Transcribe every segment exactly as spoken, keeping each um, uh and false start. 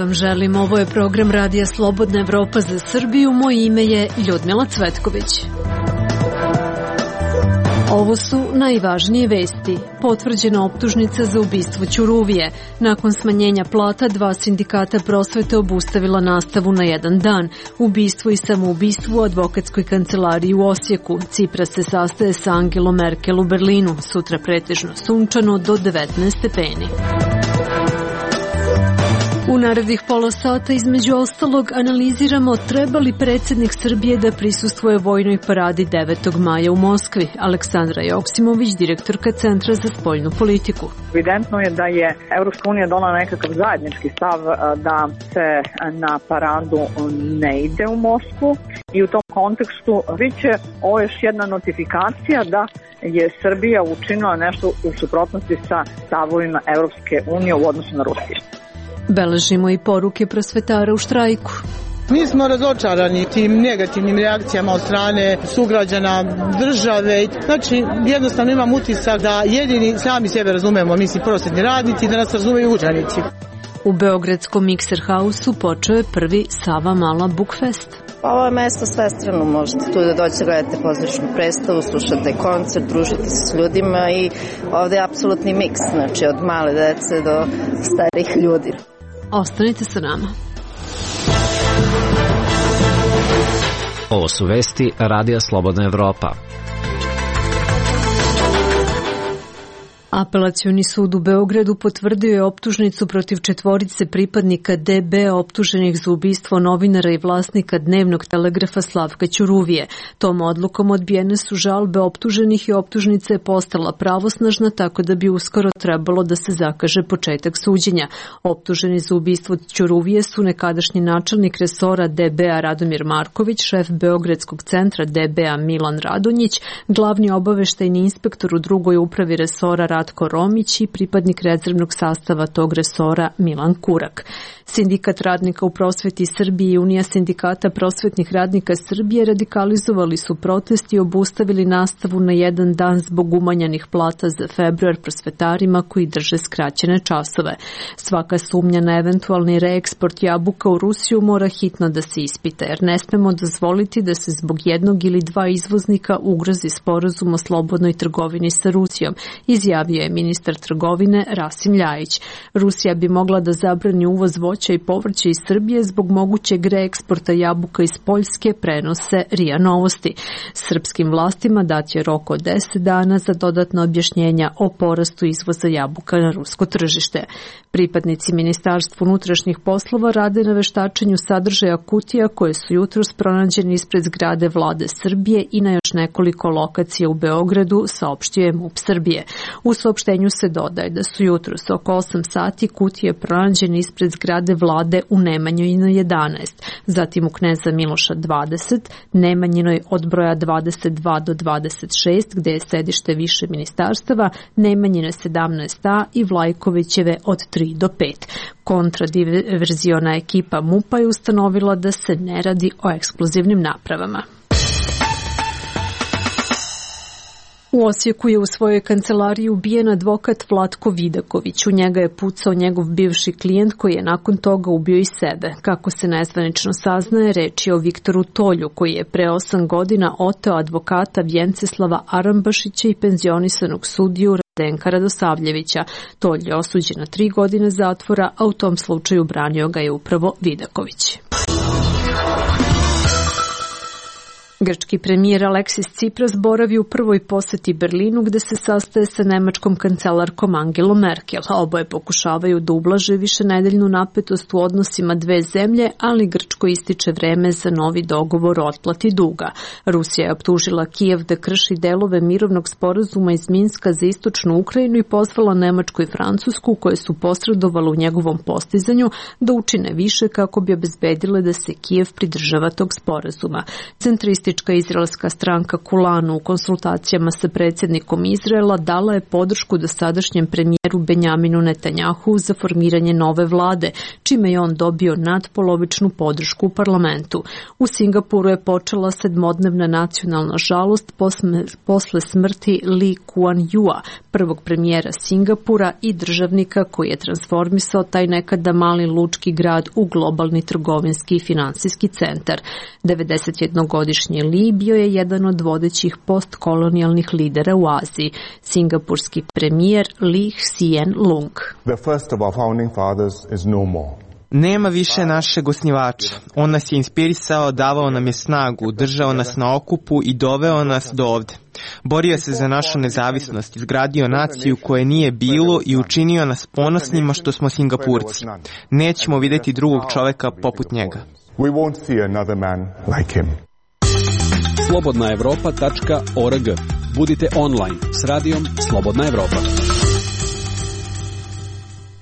vam želim. Ovo je program Radija Slobodna Evropa za Srbiju. Moje ime je Ljudmila Cvetković. Ovo su najvažnije vesti. Potvrđena optužnica za ubistvo Ćuruvije. Nakon smanjenja plata, dva sindikata prosvete obustavila nastavu na jedan dan. Ubistvo i samoubistvo u advokatskoj kancelariji u Osijeku. Cipras se sastaje sa Angelom Merkel u Berlinu. Sutra pretežno sunčano do devetnaest stepeni. U narednih pola sata između ostalog analiziramo treba li predsjednik Srbije da prisustvuje vojnoj paradi devetog maja u Moskvi. Aleksandra Joksimović, direktorka Centra za spoljnu politiku. Evidentno je da je Evropska unija donela nekakav zajednički stav da se na paradu ne ide u Moskvu i u tom kontekstu biće ovo još jedna notifikacija da je Srbija učinila nešto u suprotnosti sa stavovima Evropske unije u odnosu na Rusiju. Beležimo i poruke prosvetara u štrajku. Mi smo razočarani tim negativnim reakcijama od strane sugrađana, države. Znači, jednostavno imam utisak da jedini sami sebe razumemo, mislim, prosvetni radnici, da nas razumeju učenici. U beogradskom Mikser Hausu počeo je prvi Sava Mala Bukfest. Ovo je mesto svestrano, možete tu da dođete, gledate pozorišnu predstavu, slušate koncert, družite se s ljudima i ovde je apsolutni miks, znači od male dece do starih ljudi. Ostanite sa nama. Ovo su vesti Radija Slobodna Evropa. Apelacioni sud u Beogradu potvrdio je optužnicu protiv četvorice pripadnika D B optuženih za ubistvo novinara i vlasnika dnevnog telegrafa Slavka Ćuruvije. Tom odlukom odbijene su žalbe optuženih i optužnica je postala pravosnažna, tako da bi uskoro trebalo da se zakaže početak suđenja. Optuženi za ubistvo Ćuruvije su nekadašnji načelnik resora D B-a Radomir Marković, šef Beogradskog centra D B-a Milan Radonjić, glavni obaveštajni inspektor u drugoj upravi resora Ratko Romić i pripadnik rezervnog sastava tog resora Milan Kurak. Sindikat radnika u prosveti Srbije i Unija sindikata prosvetnih radnika Srbije radikalizovali su protest i obustavili nastavu na jedan dan zbog umanjenih plata za februar prosvetarima koji drže skraćene časove. Svaka sumnja na eventualni reeksport jabuka u Rusiju mora hitno da se ispita, jer ne smemo dozvoliti da se zbog jednog ili dva izvoznika ugrozi sporazum o slobodnoj trgovini sa Rusijom, izjavio je ministar trgovine Rasim Ljajić. Rusija bi mogla da zabrani uvoz voća i povrća iz Srbije zbog mogućeg reeksporta jabuka iz Poljske, prenose R I A Novosti. Srpskim vlastima dat je rok od deset dana za dodatno objašnjenja o porastu izvoza jabuka na rusko tržište. Pripadnici Ministarstva unutrašnjih poslova rade na veštačenju sadržaja kutija koje su jutros pronađene ispred zgrade Vlade Srbije i na još nekoliko lokacija u Beogradu, saopštio je MUP Srbije. U saopštenju se dodaje da su jutros oko osam sati kutije pronađene ispred zgrade Vlade u Nemanjinoj jedanaest, zatim u Kneza Miloša dvadeset, Nemanjinoj od broja dvadeset dva do dvadeset šest gde je sedište više ministarstava, Nemanjine sedamnaest A i Vlajkovićeve od tri do pet. Kontradiverziona ekipa MUP-a je ustanovila da se ne radi o eksplozivnim napravama. U Osijeku je u svojoj kancelariji ubijen advokat Vlatko Vidaković. U njega je pucao njegov bivši klijent koji je nakon toga ubio i sebe. Kako se nezvanično saznaje, reč je o Viktoru Tolju koji je pre osam godina oteo advokata Vjenceslava Arambašića i penzionisanog sudiju Radenka Radosavljevića. Tolj je osuđen na tri godine zatvora, a u tom slučaju branio ga je upravo Vidaković. Grčki premijer Aleksis Cipras boravi u prvoj poseti Berlinu gde se sastaje sa nemačkom kancelarkom Angelom Merkel. Oboje pokušavaju da ublaže višenedeljnu napetost u odnosima dve zemlje, ali Grčko ističe vreme za novi dogovor o otplati duga. Rusija je optužila Kijev da krši delove mirovnog sporazuma iz Minska za istočnu Ukrajinu i pozvala Nemačku i Francusku, koje su posredovale u njegovom postizanju, da učine više kako bi obezbedile da se Kijev pridržava tog sporazuma. Centristi Komunistička izraelska stranka Kulanu u konsultacijama sa predsjednikom Izraela dala je podršku dosadašnjem premijeru Benjaminu Netanjahu za formiranje nove vlade, čime je on dobio nadpolovičnu podršku u parlamentu. U Singapuru je počela sedmodnevna nacionalna žalost posle smrti Lee Kuan Yewa, prvog premijera Singapura i državnika koji je transformisao taj nekada mali lučki grad u globalni trgovinski i finansijski centar. devedesetjednogodišnji Lee bio je jedan od vodećih postkolonijalnih lidera u Aziji. Singapurski premijer Lee Hsien Loong. The first of our founding fathers is no more. Nema više našeg osnivača. On nas je inspirisao, davao nam je snagu, držao nas na okupu i doveo nas do ovde. Borio se za našu nezavisnost, izgradio naciju koje nije bilo i učinio nas ponosnima što smo Singapurci. Nećemo vidjeti drugog čoveka poput njega. We won't see another man like him. slobodna evropa tačka org. Budite online s radijom Slobodna Evropa.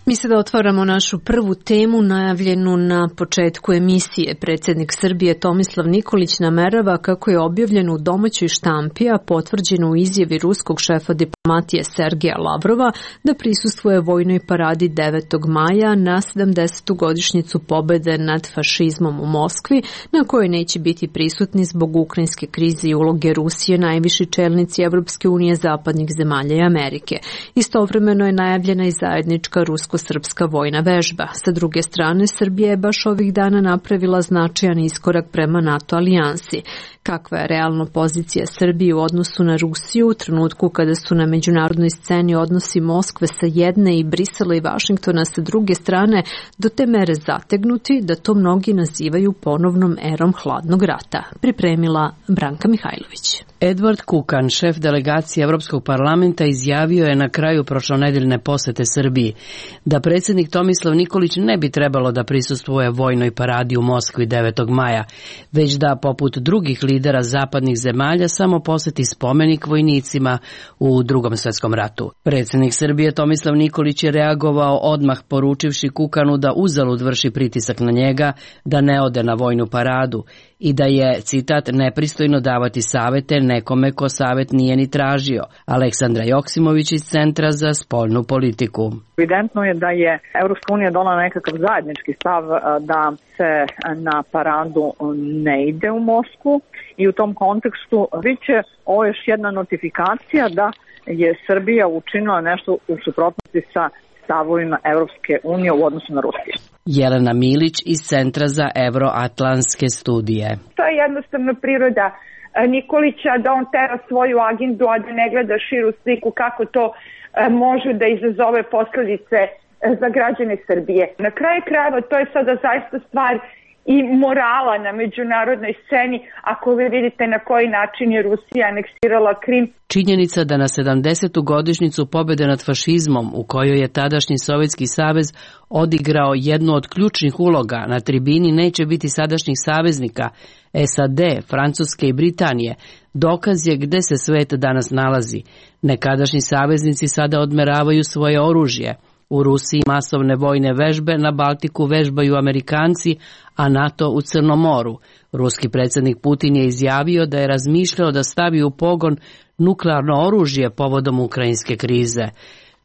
Mi sada otvaramo našu prvu temu najavljenu na početku emisije. Predsjednik Srbije Tomislav Nikolić namerava, kako je objavljeno u domaćoj štampi, a potvrđeno u izjavi ruskog šefa diplomatije Sergeja Lavrova, da prisustvuje vojnoj paradi devetog maja na sedamdesetu godišnjicu pobede nad fašizmom u Moskvi, na kojoj neće biti prisutni zbog ukrajinske krize i uloge Rusije najviši čelnici Evropske unije, zapadnih zemalja i Amerike. Istovremeno je najavljena i zajednička rusko srpska vojna vežba. Sa druge strane, Srbija je baš ovih dana napravila značajan iskorak prema NATO alijansi. Kakva je realno pozicija Srbije u odnosu na Rusiju u trenutku kada su na međunarodnoj sceni odnosi Moskve sa jedne i Brisela i Vašingtona sa druge strane do te mere zategnuti da to mnogi nazivaju ponovnom erom hladnog rata? Pripremila Branka Mihajlović. Edward Kukan, šef delegacije Evropskog parlamenta, izjavio je na kraju prošlonedeljne posete Srbiji da predsjednik Tomislav Nikolić ne bi trebalo da prisustvuje vojnoj paradi u Moskvi devetog maja, već da poput drugih lidera zapadnih zemalja samo poseti spomenik vojnicima u Drugom svjetskom ratu. Predsjednik Srbije Tomislav Nikolić je reagovao odmah, poručivši Kukanu da uzalud vrši pritisak na njega da ne ode na vojnu paradu i da je, citat, nepristojno davati savete nekome ko savet nije ni tražio. Aleksandra Joksimović iz Centra za spoljnu politiku. Evidentno je da je Evropska unija donala nekakav zajednički stav da se na paradu ne ide u Moskvu i u tom kontekstu biće ovo još jedna notifikacija da je Srbija učinila nešto u suprotnosti sa stavovima Evropske unije u odnosu na Rusiju. Jelena Milić iz Centra za evroatlantske studije. To je jednostavno priroda Nikolića, da on tera svoju agendu, a da ne gleda širu sliku kako to može da izazove posljedice za građane Srbije. Na kraju krajeva to je sada zaista stvar i morala na međunarodnoj sceni, ako vi vidite na koji način je Rusija aneksirala Krim. Činjenica da na sedamdesetu godišnjicu pobjede nad fašizmom, u kojoj je tadašnji Sovjetski savez odigrao jednu od ključnih uloga, na tribini neće biti sadašnjih saveznika S A D, Francuske i Britanije, dokaz je gde se svet danas nalazi. Nekadašnji saveznici sada odmeravaju svoje oružje. U Rusiji masovne vojne vežbe, na Baltiku vežbaju Amerikanci, a NATO u Crnom moru. Ruski predsjednik Putin je izjavio da je razmišljao da stavi u pogon nuklearno oružje povodom ukrajinske krize.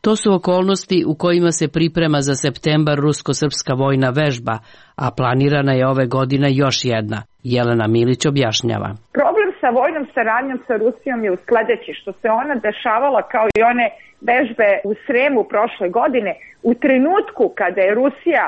To su okolnosti u kojima se priprema za septembar rusko-srpska vojna vežba, a planirana je ove godine još jedna. Jelena Milić objašnjava. Problem sa vojnom saradnjom sa Rusijom je u sledeći, što se ona dešavala kao i one vežbe u Sremu prošle godine, u trenutku kada je Rusija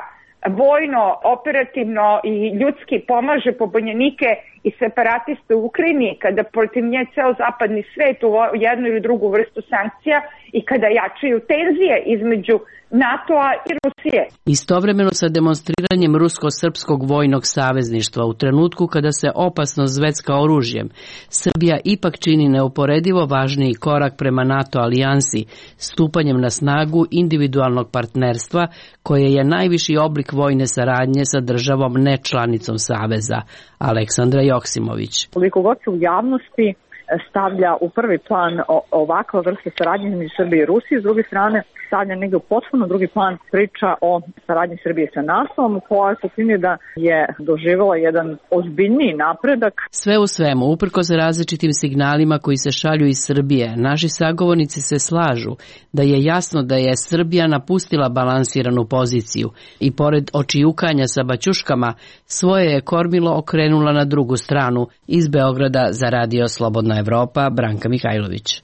vojno, operativno i ljudski pomaže pobunjenike i separatiste u Ukrajini, kada protiv nje ceo zapadni svet u jednu ili drugu vrstu sankcija i kada jačaju tenzije između NATO-a i Rusije. Istovremeno sa demonstriranjem rusko-srpskog vojnog savezništva u trenutku kada se opasno zvecka oružjem, Srbija ipak čini neuporedivo važniji korak prema NATO alijansi, stupanjem na snagu individualnog partnerstva koje je najviši oblik vojne saradnje sa državom nečlanicom saveza. Aleksandra Joksimović. Koliko god se u javnosti stavlja u prvi plan ovakva vrsta saradnje između Srbije i Rusije, s druge strane stavlja negdje u potpuno drugi plan priča o saradnji Srbije sa NATO-om, koja se čini da je doživjela jedan ozbiljniji napredak. Sve u svemu, uprkos različitim signalima koji se šalju iz Srbije, naši sagovornici se slažu da je jasno da je Srbija napustila balansiranu poziciju i pored očijukanja sa baćuškama, svoje je kormilo okrenula na drugu stranu. Iz Beograda za Radio Slobodna Evropa, Branka Mihajlović.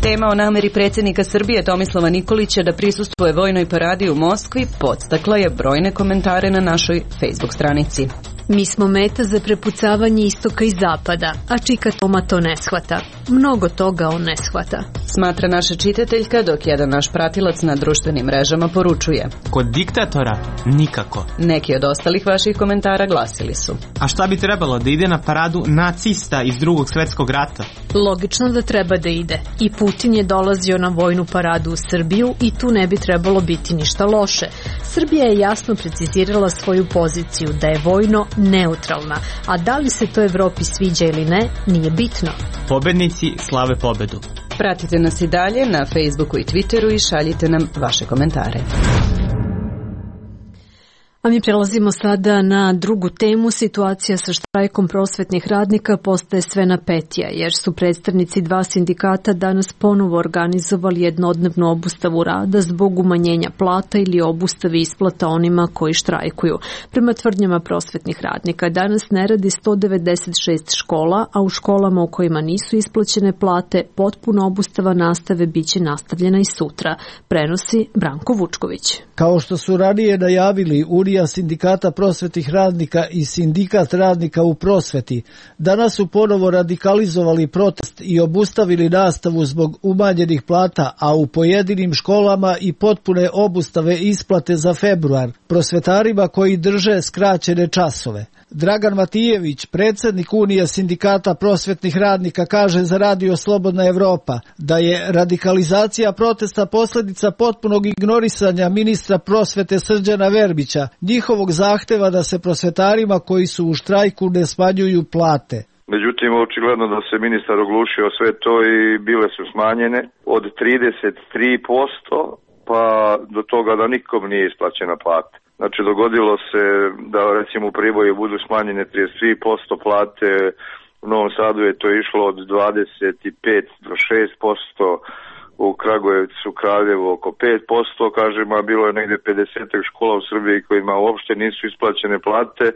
Tema o nameri predsjednika Srbije Tomislava Nikolića da prisustvuje vojnoj paradi u Moskvi podstakla je brojne komentare na našoj Facebook stranici. Mi smo meta za prepucavanje istoka i zapada, a Čika Toma to ne shvata. Mnogo toga on ne shvata. Smatra naša čitateljka, dok jedan naš pratilac na društvenim mrežama poručuje: Kod diktatora? Nikako. Neki od ostalih vaših komentara glasili su: A šta bi trebalo, da ide na paradu nacista iz drugog svjetskog rata? Logično da treba da ide. I Putin je dolazio na vojnu paradu u Srbiju i tu ne bi trebalo biti ništa loše. Srbija je jasno precizirala svoju poziciju da je vojno neutralna, a da li se to Evropi sviđa ili ne, nije bitno. Pobednici slave pobedu. Pratite nas i dalje na Facebooku i Twitteru i šaljite nam vaše komentare. A mi prelazimo sada na drugu temu. Situacija sa štrajkom prosvetnih radnika postaje sve napetija, jer su predstavnici dva sindikata danas ponovo organizovali jednodnevnu obustavu rada zbog umanjenja plata ili obustave isplata onima koji štrajkuju. Prema tvrdnjama prosvetnih radnika, danas ne radi sto devedeset šest škola, a u školama u kojima nisu isplaćene plate, potpuna obustava nastave biće nastavljena i sutra, prenosi Branko Vučković. Kao što su ranije najavili Unija sindikata prosvetnih radnika i sindikat radnika u prosveti, danas su ponovo radikalizovali protest i obustavili nastavu zbog umanjenih plata, a u pojedinim školama i potpune obustave isplate za februar prosvetarima koji drže skraćene časove. Dragan Matijević, predsjednik Unije sindikata prosvetnih radnika, kaže za Radio Slobodna Evropa da je radikalizacija protesta posljedica potpunog ignorisanja ministra prosvete Srđana Verbića, njihovog zahteva da se prosvetarima koji su u štrajku ne smanjuju plate. Međutim, očigledno da se ministar oglušio sve to i bile su smanjene od trideset tri posto pa do toga da nikom nije isplaćena plata. Znači, dogodilo se da recimo u Priboju budu smanjene trideset tri posto plate, u Novom Sadu je to išlo od dvadeset pet do šest posto, u Kragujevcu, Kraljevu oko pet posto, kažem, a bilo je negdje pedeset škola u Srbiji kojima uopšte nisu isplaćene plate,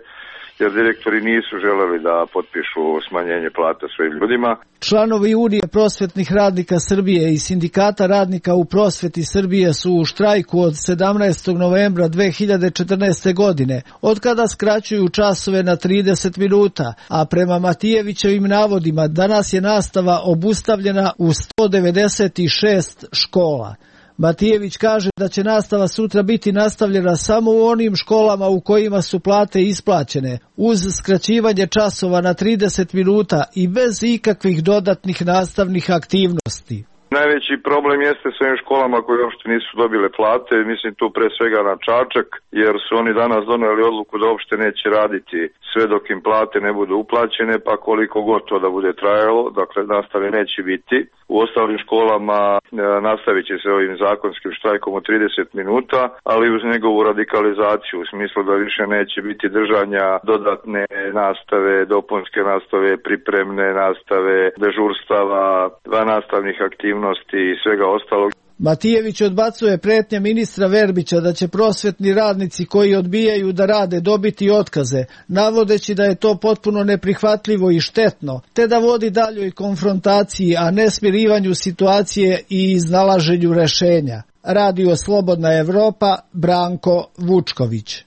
jer direktori nisu želeli da potpišu smanjenje plata svojim ljudima. Članovi Unije prosvetnih radnika Srbije i sindikata radnika u prosveti Srbije su u štrajku od sedamnaestog novembra dve hiljade četrnaeste. godine, od kada skraćuju časove na trideset minuta, a prema Matijevićevim navodima danas je nastava obustavljena u sto devedeset šest škola. Matijević kaže da će nastava sutra biti nastavljena samo u onim školama u kojima su plate isplaćene, uz skraćivanje časova na trideset minuta i bez ikakvih dodatnih nastavnih aktivnosti. Najveći problem jeste s ovim školama koje uopšte nisu dobile plate, mislim tu pre svega na Čačak, jer su oni danas doneli odluku da uopšte neće raditi sve dok im plate ne budu uplaćene, pa koliko god to da bude trajalo, dakle nastave neće biti. U ostalim školama e, nastavit će se ovim zakonskim štrajkom od trideset minuta, ali uz njegovu radikalizaciju, u smislu da više neće biti držanja dodatne nastave, dopunske nastave, pripremne nastave, dežurstava, van nastavnih aktivnosti i svega ostalog. Matijević odbacuje pretnje ministra Verbića da će prosvetni radnici koji odbijaju da rade dobiti otkaze, navodeći da je to potpuno neprihvatljivo i štetno, te da vodi daljoj konfrontaciji, a ne smirivanju situacije i iznalaženju rešenja. Radio Slobodna Evropa, Branko Vučković.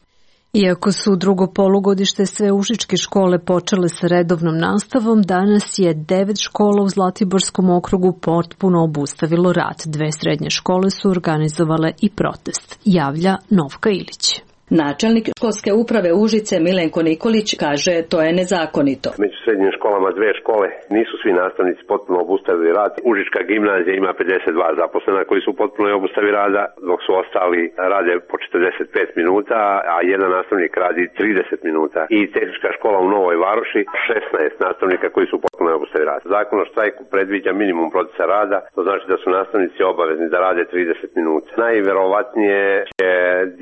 Iako su drugo polugodište sveušičke škole počele sa redovnom nastavom, danas je devet škola u Zlatiborskom okrugu potpuno obustavilo rad. Dve srednje škole su organizovale i protest, javlja Novka Ilić. Načelnik školske uprave Užice Milenko Nikolić kaže to je nezakonito. Među srednjim školama dve škole nisu svi nastavnici potpuno obustavili rad. Užička gimnazija ima pedeset dva zaposlena koji su potpuno obustavi rada, dok su ostali rade po četrdeset pet minuta, a jedan nastavnik radi trideset minuta. I tehnička škola u Novoj Varoši šesnaest nastavnika koji su potpuno obustavi rada. Zakon o štrajku predviđa minimum procesa rada, to znači da su nastavnici obavezni da rade trideset minuta. Najverovatnije će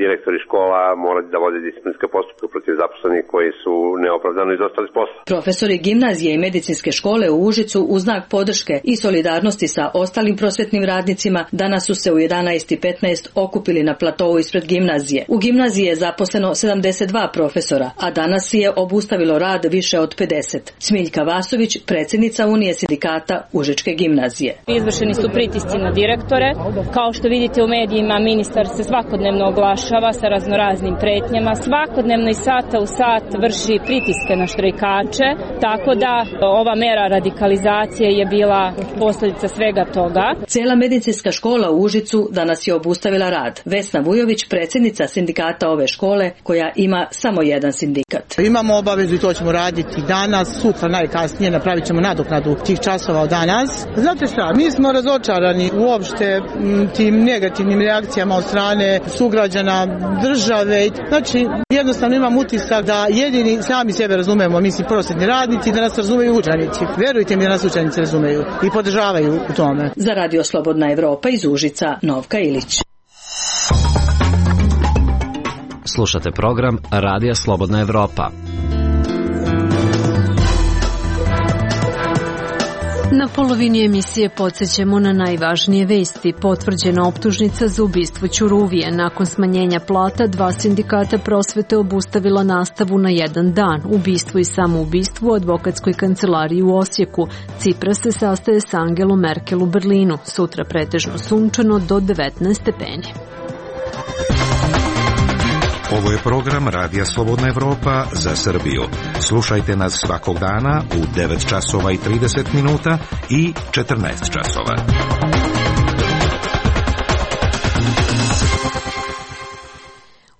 direktori škola morati da vode disciplinske postupke protiv zaposlenih koji su neopravdano izostali s posla. Profesori gimnazije i medicinske škole u Užicu u znak podrške i solidarnosti sa ostalim prosvetnim radnicima danas su se u jedanaest i petnaest okupili na platovu ispred gimnazije. U gimnaziji je zaposleno sedamdeset dva profesora, a danas je obustavilo rad više od pedeset. Smiljka Vasović, predsjednica Unije sindikata Užičke gimnazije. Izvršeni su pritisci na direktore. Kao što vidite u medijima, ministar se svakodnevno oglašava sa raznoraznim pretnjama. Svakodnevno i sata u sat vrši pritiske na štrajkače, tako da ova mera radikalizacije je bila posljedica svega toga. Cijela medicinska škola u Užicu danas je obustavila rad. Vesna Vujović, predsjednica sindikata ove škole, koja ima samo jedan sindikat. Imamo obavezu i to ćemo raditi danas, sutra najkasnije napravit ćemo nadoknadu tih časova od danas. Znate šta, mi smo razočarani uopšte tim negativnim reakcijama od strane sugrađana, države. Znači, jednostavno imam utisak da jedini sami sebe razumemo, mislim prosvetni radnici, da nas razumeju učenici. Verujte mi da nas učenici razumeju i podržavaju u tome. Za Radio Slobodna Evropa iz Užica, Novka Ilić. Slušate program Radija Slobodna Evropa. Na polovini emisije podsjećamo na najvažnije vesti. Potvrđena optužnica za ubistvo Ćuruvije. Nakon smanjenja plata, dva sindikata prosvete obustavila nastavu na jedan dan. Ubistvo i samoubistvo u advokatskoj kancelariji u Osijeku. Cipras se sastaje s Angelom Merkel u Berlinu. Sutra pretežno sunčano do devetnaest stepeni. Ovo je program Radija Slobodna Evropa za Srbiju. Slušajte nas svakog dana u devet časova i trideset minuta i četrnaest časova.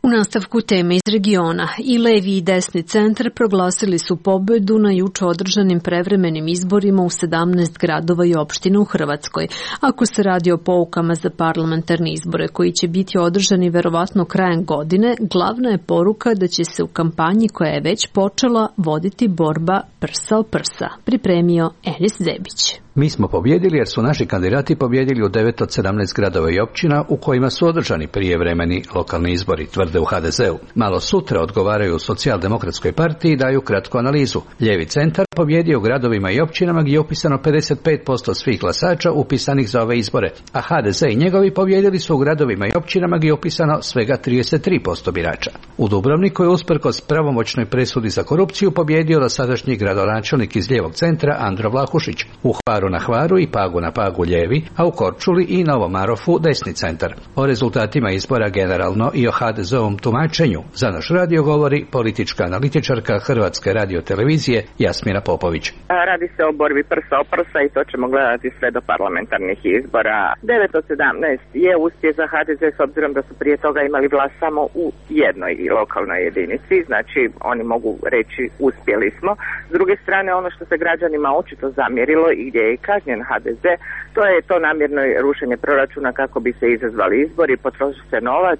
U nastavku teme iz regiona, i levi i desni centar proglasili su pobedu na juče održanim prevremenim izborima u sedamnaest gradova i opština u Hrvatskoj. Ako se radi o poukama za parlamentarne izbore koji će biti održani verovatno krajem godine, glavna je poruka da će se u kampanji koja je već počela voditi borba prsa o prsa, pripremio Enis Zebić. Mi smo pobjedili jer su naši kandidati pobjedili u devet od sedamnaest gradova i općina u kojima su održani prijevremeni lokalni izbori, tvrde u ha de zeu. Malo sutra odgovaraju u Socijaldemokratskoj partiji i daju kratku analizu. Ljevi centar pobjedio u gradovima i općinama gdje je upisano pedeset pet posto svih glasača upisanih za ove izbore, a ha de ze i njegovi pobjedili su u gradovima i općinama gdje je upisano svega trideset tri posto birača. U Dubrovniku je usprkos pravomoćnoj presudi za korupciju pobjedio dosadašnji gradonačelnik iz lijevog centra Andro Vlahušić. U Hvaru na Hvaru i Pagu na Pagu ljevi, a u Korčuli i Novom Marofu desni centar. O rezultatima izbora generalno i o ha de zeovom tumačenju za naš radio govori politička analitičarka Hrvatske radiotelevizije Jasmina Popović. Radi se o borbi prsa o prsa i to ćemo gledati sve do parlamentarnih izbora. devet od sedamnaest je uspjeh za ha de ze s obzirom da su prije toga imali vlast samo u jednoj lokalnoj jedinici, znači oni mogu reći uspjeli smo. S druge strane, ono što se građanima očito zamjerilo i gdje je kažnjen ha de ze, to je to namjerno rušenje proračuna kako bi se izazvali izbori, potroši se novac,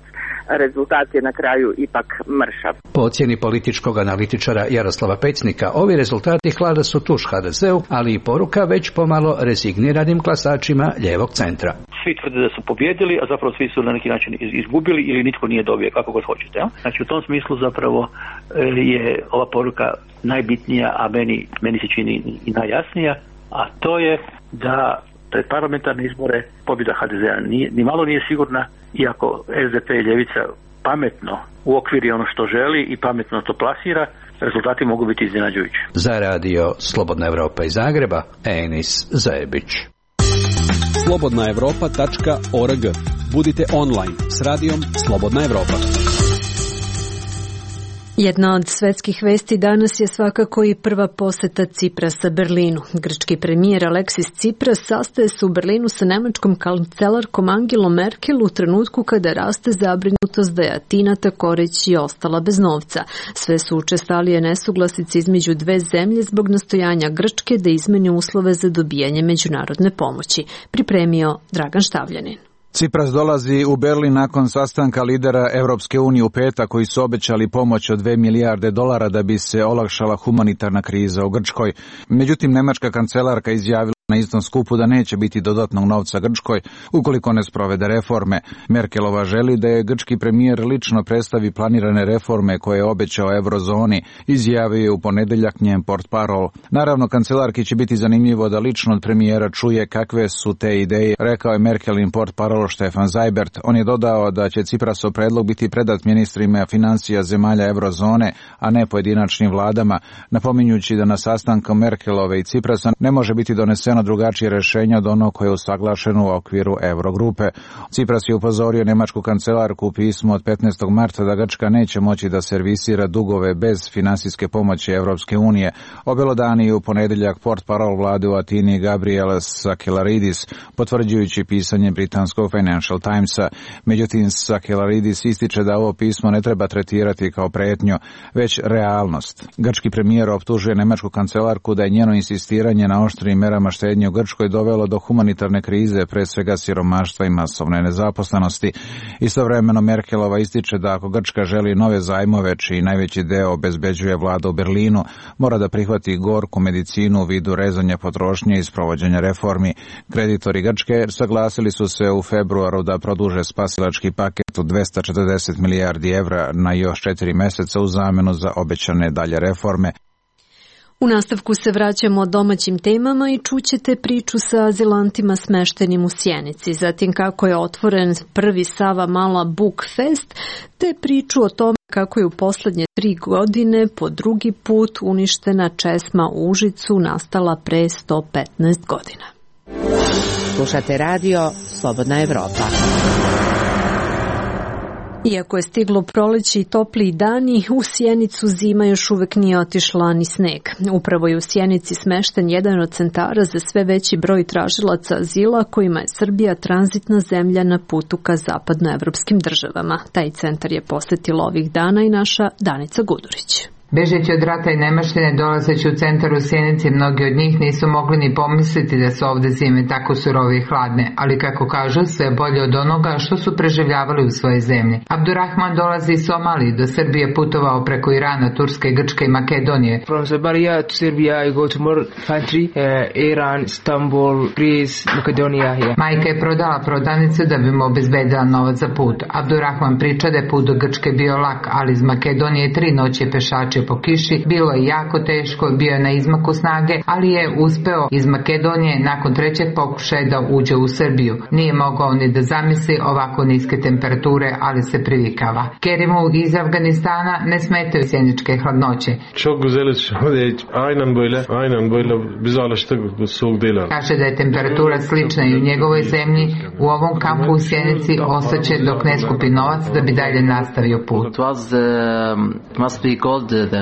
rezultat je na kraju ipak mršav. Po ocjeni političkog analitičara Jaroslava Pecnika, ovi rezultati hlada su tuš ha de zeu, ali i poruka već pomalo rezigniranim glasačima lijevog centra. Svi tvrde da su pobjedili, a zapravo svi su na neki način izgubili ili nitko nije dobio, kako god hoćete. Ja? Znači u tom smislu zapravo je ova poruka najbitnija, a meni, meni se čini i najjasnija, a to je da pred parlamentarne izbore pobjeda ha de zea nije, ni malo nije sigurna, iako es de pe i ljevica pametno uokviri ono što želi i pametno to plasira, rezultati mogu biti iznenađujući. Za radio Slobodna Evropa iz Zagreba, Enis Zebić. slobodna evropa tačka org. Budite online s radijom Slobodna Evropa. Jedna od svetskih vesti danas je svakako i prva poseta Ciprasa Berlinu. Grčki premijer Aleksis Tsipras sastaje se u Berlinu sa nemačkom kancelarkom Angelom Merkel u trenutku kada raste zabrinutost da je Atina tako reći ostala bez novca. Sve su učestalije nesuglasice između dve zemlje zbog nastojanja Grčke da izmeni uslove za dobijanje međunarodne pomoći. Pripremio Dragan Štavljanin. Cipras dolazi u Berlin nakon sastanka lidera Evropske unije u petak koji su obećali pomoć od dve milijarde dolara da bi se olakšala humanitarna kriza u Grčkoj. Međutim, nemačka kancelarka izjavila na istom skupu da neće biti dodatnog novca Grčkoj ukoliko ne sprovede reforme. Merkelova želi da je grčki premijer lično predstavi planirane reforme koje je obećao eurozoni, izjavio je u ponedeljak njen portparol. Naravno, kancelarki će biti zanimljivo da lično od premijera čuje kakve su te ideje, rekao je Merkelin portparol Stefan Seibert. On je dodao da će Ciprasov predlog biti predat ministrima financija zemalja eurozone, a ne pojedinačnim vladama, napominjući da na sastanku Merkelove i Ciprasa ne može biti doneseno drugačije rješenje od ono koje je usaglašeno u okviru Eurogrupe. Cipras je upozorio nemačku kancelarku u pismu od petnaestog marta da Grčka neće moći da servisira dugove bez finansijske pomoći Evropske unije. Obelodani je u ponedeljak portparol vlade u Atini Gabriel Sakelaridis, potvrđujući pisanje britanskog Financial Timesa. Međutim, Sakelaridis ističe da ovo pismo ne treba tretirati kao pretnju, već realnost. Grčki premijer optužuje nemačku kancelarku da je njeno insistiranje na oštrim merama štednje u Grčkoj dovelo do humanitarne krize, pre svega siromaštva i masovne nezaposlenosti. Istovremeno Merkelova ističe da ako Grčka želi nove zajmove, čiji najveći deo obezbeđuje vlada u Berlinu, mora da prihvati gorku medicinu u vidu rezanja potrošnje i sprovođenja reformi. Kreditori Grčke saglasili su se u februaru da produže spasilački paket od dvesta četrdeset milijardi evra na još četiri meseca u zamenu za obećane dalje reforme. U nastavku se vraćamo domaćim temama i čućete priču sa azilantima smeštenim u Sjenici, zatim kako je otvoren prvi Sava Mala Book Fest, te priču o tome kako je u poslednje tri godine po drugi put uništena česma u Užicu nastala pre sto petnaest godina. Slušate radio Slobodna Evropa. Iako je stiglo proleće i topliji dani, u Sjenicu zima još uvek nije otišla ni sneg. Upravo je u Sjenici smešten jedan od centara za sve veći broj tražilaca azila kojima je Srbija tranzitna zemlja na putu ka zapadnoevropskim državama. Taj centar je posetila ovih dana i naša Danica Gudurić. Bežeći od rata i nemaštine, dolazeći u centar u Sjenici, mnogi od njih nisu mogli ni pomisliti da su ovde zime tako surove i hladne, ali kako kažu, sve bolje od onoga što su preživljavali u svojoj zemlji. Abdurrahman dolazi iz Somalije, do Srbije putovao preko Irana, Turske, Grčke i Makedonije. From Somalia to Serbia I go to more country, uh, Iran, Istanbul, Greece, Makedonija. Yeah. Majka je prodala prodavnicu da bi mu obezbedila novac za put. Abdurrahman priča da je put do Grčke bio lak, ali iz Makedonije tri noći pešače po kiši, bilo je jako teško, bio je na izmaku snage, ali je uspeo iz Makedonije nakon trećeg pokušaja da uđe u Srbiju. Nije mogao ni da zamisli ovako niske temperature, ali se privikava. Kerimu iz Afganistana ne smetaju sjeničke hladnoće. Kaže da je temperatura slična i u njegovoj zemlji, u ovom kampu u Sjenici ostaće dok ne skupi novac da bi dalje nastavio put. It was, uh, must be called the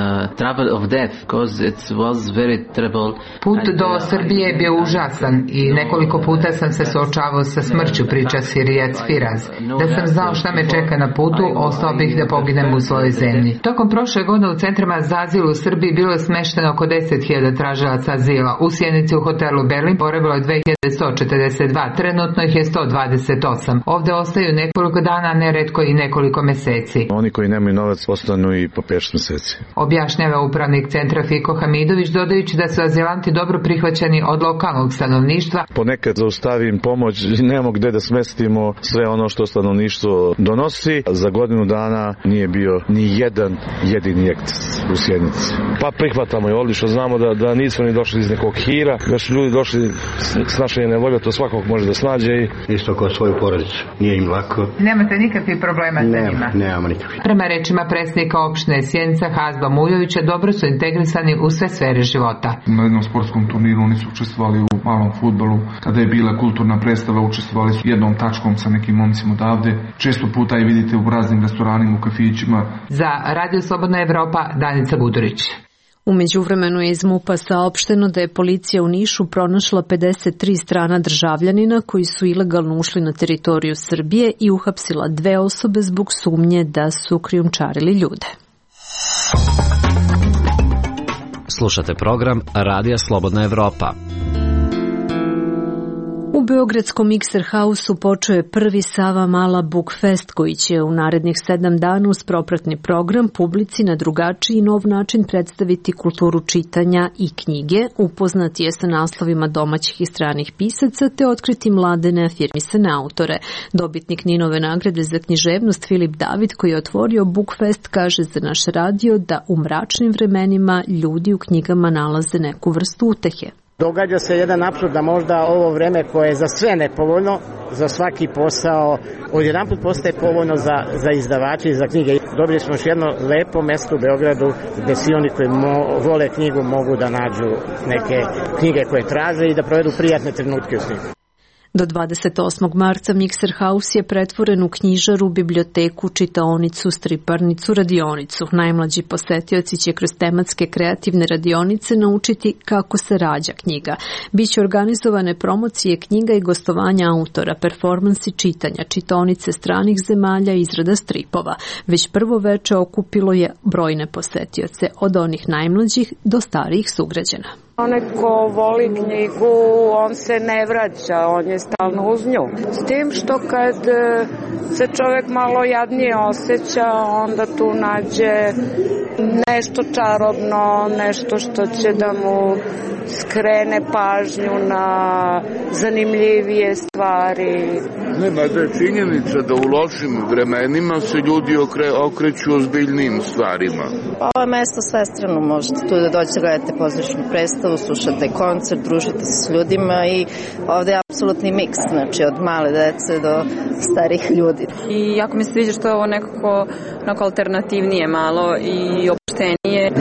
travel of death, because it was very terrible. Put do Srbije je bio užasan i nekoliko puta sam se suočavao sa smrću, priča Sirijac Firaz. Da sam znao šta me čeka na putu, ostao bih da poginem u svojoj zemlji. Tokom prošle godine u centrima za azil u Srbiji bilo je smešteno oko deset hiljada tražilaca azila. U Sjenici u hotelu Berlin boravilo je dve hiljade sto četrdeset dva, trenutno ih je sto dvadeset osam. Ovde ostaju nekoliko dana, neretko i nekoliko meseci. Oni koji nemaju novac ostanu i po pet meseci. Objašnjava upravnik centra Fiko Hamidović, dodajući da su azilanti dobro prihvaćeni od lokalnog stanovništva. Ponekad zaustavim pomoć, nemamo gde da smestimo sve ono što stanovništvo donosi. Za godinu dana nije bio ni jedan jedini ekces u Sjenici. Pa prihvatamo je odlično, znamo da, da nismo ni došli iz nekog hira, da su ljudi došli s naše nevolje, to svakog može da snađe. I... Isto kao svoju porodicu, nije im lako. Nemate nikakvih problema sa Nema, njima? Nemamo nikakvih. Prema rečima predsjednika opštine Sjenica Hazbi Razba Mujovića dobro su integrisani u sve sfere života. Na jednom sportskom turniru oni su učestvovali u malom fudbalu. Kada je bila kulturna predstava, učestvovali su jednom tačkom sa nekim momcima odavde. Često puta i vidite u raznim restoranima, u kafićima. Za Radio Slobodna Evropa, Danica Budurić. U međuvremenu je iz MUP-a saopšteno da je policija u Nišu pronašla pedeset tri strana državljanina koji su ilegalno ušli na teritoriju Srbije i uhapsila dve osobe zbog sumnje da su krijumčarili ljude. Slušate program Radija Slobodna Evropa. U Beogradskom Mikser Hausu počeo je prvi Sava Mala Book Fest koji će u narednih sedam dana uz propratni program publici na drugačiji i nov način predstaviti kulturu čitanja i knjige, upoznati je sa naslovima domaćih i stranih pisaca te otkriti mlade neafirmisane autore. Dobitnik Ninove nagrade za književnost Filip David koji je otvorio Book Fest kaže za naš radio da u mračnim vremenima ljudi u knjigama nalaze neku vrstu utehe. Događa se jedan apsurd da možda ovo vreme koje je za sve nepovoljno, za svaki posao, odjedanput postaje povoljno za, za izdavače i za knjige. Dobili smo još jedno lepo mesto u Beogradu gde svi oni koji mo, vole knjigu mogu da nađu neke knjige koje traže i da provedu prijatne trenutke u knjigu. Do dvadeset osmog marca Mikser Haus je pretvoren u knjižaru, biblioteku, čitaonicu, striparnicu, radionicu. Najmlađi posetioci će kroz tematske kreativne radionice naučiti kako se rađa knjiga. Biće organizovane promocije knjiga i gostovanja autora, performansi čitanja, čitaonice stranih zemalja i izrada stripova. Već prvo veče okupilo je brojne posetioce, od onih najmlađih do starijih sugrađana. Onaj ko voli knjigu, on se ne vraća, on je stalno uz nju. S tim što kad se čovjek malo jadnije osjeća, onda tu nađe nešto čarobno, nešto što će da mu skrene pažnju na zanimljivije stvari. Nema da je činjenica da u lošim vremenima se ljudi okre, okreću ozbiljnim stvarima. Ovo je mesto svestrano, možete tu da dođete, gledate pozorišnu predstavu, slušate koncert, družite se s ljudima i ovde je apsolutni miks, znači od male dece do starih ljudi. I jako mi se sviđa što je ovo nekako, nekako alternativnije malo i opštenije.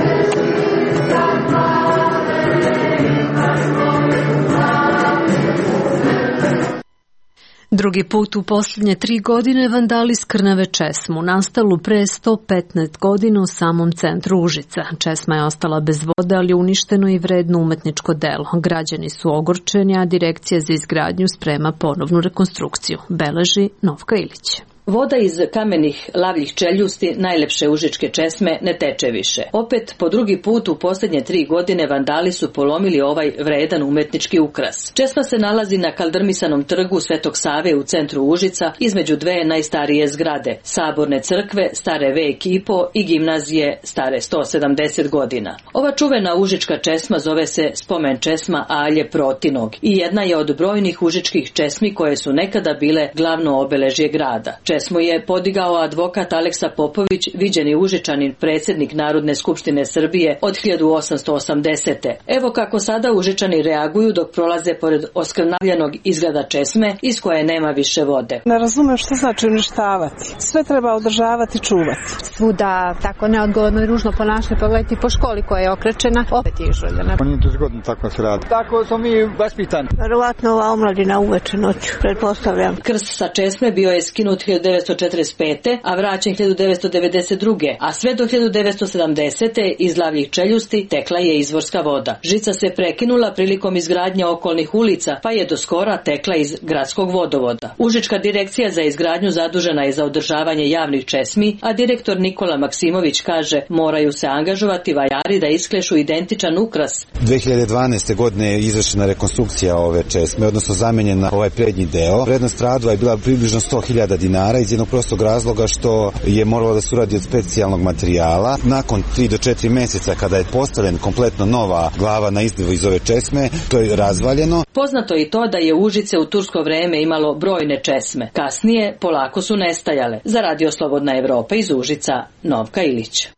Drugi put u posljednje tri godine vandali skrnave česmu, nastalu pre sto petnaest godina u samom centru Užica. Česma je ostala bez vode, ali uništeno i vredno umetničko delo. Građani su ogorčeni, a Direkcija za izgradnju sprema ponovnu rekonstrukciju. Beleži Novka Ilić. Voda iz kamenih lavljih čeljusti najlepše užičke česme ne teče više. Opet, po drugi put u posljednje tri godine vandali su polomili ovaj vredan umetnički ukras. Česma se nalazi na kaldrmisanom trgu Svetog Save u centru Užica, između dve najstarije zgrade, Saborne crkve, stare vek i po, i gimnazije, stare sto sedamdeset godina. Ova čuvena užička česma zove se spomen česma Alje Protinog i jedna je od brojnih užičkih česmi koje su nekada bile glavno obeležje grada. Česmu je podigao advokat Aleksa Popović, viđeni Užičanin, predsjednik Narodne skupštine Srbije od hiljadu osamsto osamdesete. Evo kako sada Užičani reaguju dok prolaze pored oskrnavljenog izgleda česme iz koje nema više vode. Ne razumem što znači uništavati. Sve treba održavati, čuvati. Svuda tako neodgovorno i ružno ponašanje, pogledajte po školi koja je okrečena, opet je izžuljena. Pa nije to zgodno tako se radi. Tako smo mi vaspitani. Verovatno ova omladina uveče noću, pretpostavljam. Krst sa česme bio je skinut hiljadu devetsto četrdeset pete. a vraćen hiljadu devetsto devedeset druge. a sve do hiljadu devetsto sedamdesete. iz lavljih čeljusti tekla je izvorska voda. Žica se prekinula prilikom izgradnje okolnih ulica, pa je do skora tekla iz gradskog vodovoda. Užička direkcija za izgradnju zadužena je za održavanje javnih česmi, a direktor Nikola Maksimović kaže moraju se angažovati vajari da isklešu identičan ukras. dve hiljade dvanaeste. godine je izvršena rekonstrukcija ove česme, odnosno zamenjena ovaj prednji deo. Vrednost radova je bila približno sto hiljada dinara iz jednog prostog razloga što je moralo da se uradi od specijalnog materijala. Nakon tri do četiri meseca kada je postavljen kompletno nova glava na izdevu iz ove česme, to je razvaljeno. Poznato je i to da je Užice u tursko vreme imalo brojne česme. Kasnije polako su nestajale. Za Radio Slobodna Evropa iz Užica, Novka Ilić.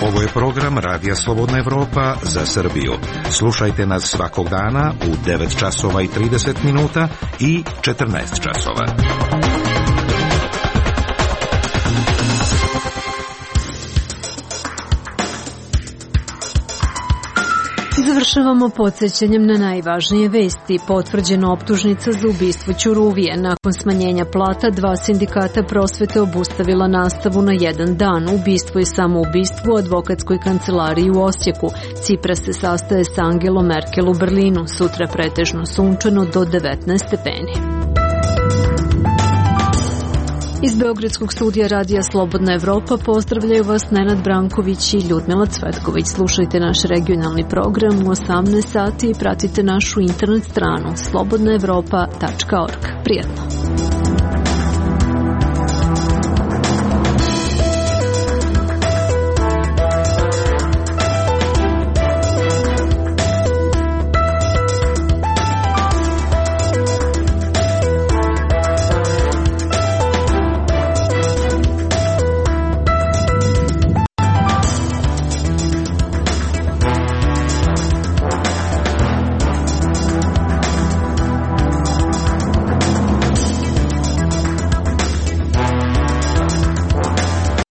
Ovo je program Radija Slobodna Evropa za Srbiju. Slušajte nas svakog dana u devet časova i trideset minuta i četrnaest časova. Završavamo podsjećanjem na najvažnije vesti. Potvrđena optužnica za ubistvo Ćuruvije. Nakon smanjenja plata, dva sindikata prosvete obustavila nastavu na jedan dan. Ubistvo i samoubistvo u advokatskoj kancelariji u Osijeku. Cipras se sastaje sa Angelom Merkel u Berlinu. Sutra pretežno sunčano do devetnaest stepeni. Iz Beogradskog studija Radija Slobodna Evropa pozdravljaju vas Nenad Branković i Ljudmila Cvetković. Slušajte naš regionalni program u osamnaest sati i pratite našu internet stranu slobodna evropa tačka org. Prijetno!